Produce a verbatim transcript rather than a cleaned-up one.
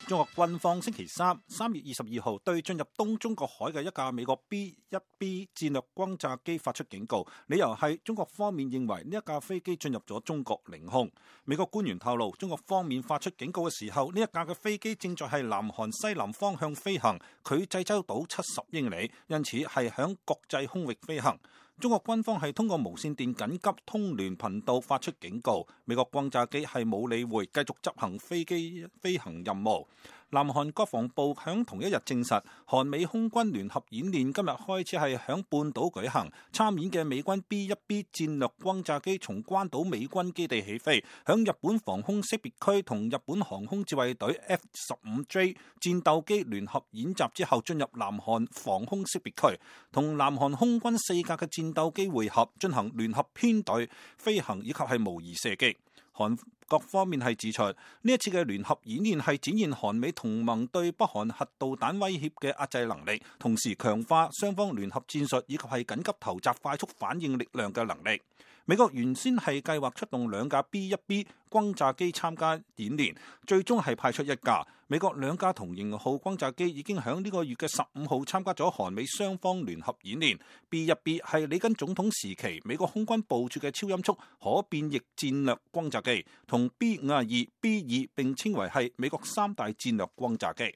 中國軍方星期三三月二十二號對進入東中國海嘅一架美國 B 一 B 戰略轟炸機發出警告，理由係中國方面認為呢一架飛機進入咗中國領空。美國官員透露，中國方面發出警告嘅時候，呢一架嘅飛機正在係南韓西南方向飛行，距濟州島七十英里，因此係響國際空域飛行。中國軍方係通過無線電緊急通聯頻道發出警告，美國轟炸機係冇理會，繼續執行飛機飛行任務。南韓國防部響同一日證實，韓美空軍聯合演練今日開始係響半島舉行，參演嘅美軍 B 一 B 戰略轟炸機從關島美軍基地起飛，響日本防空識別區同日本航空自衛隊 F 十五 J 戰鬥機聯合演習之後，進入南韓防空識別區，同南韓空軍四架嘅戰鬥機會合，進行聯合編隊飛行以及係模擬射擊。韓國方面係指出，呢一次嘅聯合演練係展現韓美同盟對北韓核導彈威脅嘅壓制能力，同時強化雙方聯合戰術以及係緊急投擲快速反應力量嘅能力。美國原先係計劃出動兩架 B 一 B 轟炸機參加演練，最終係派出一架。美國兩架同型號轟炸機已經喺呢個月嘅十五號參加咗韓美雙方聯合演練。B 一 B 係里根總統時期美國空軍部署嘅超音速可變翼戰略轟炸機，同 B 五十二、B 二並稱為係美國三大戰略轟炸機。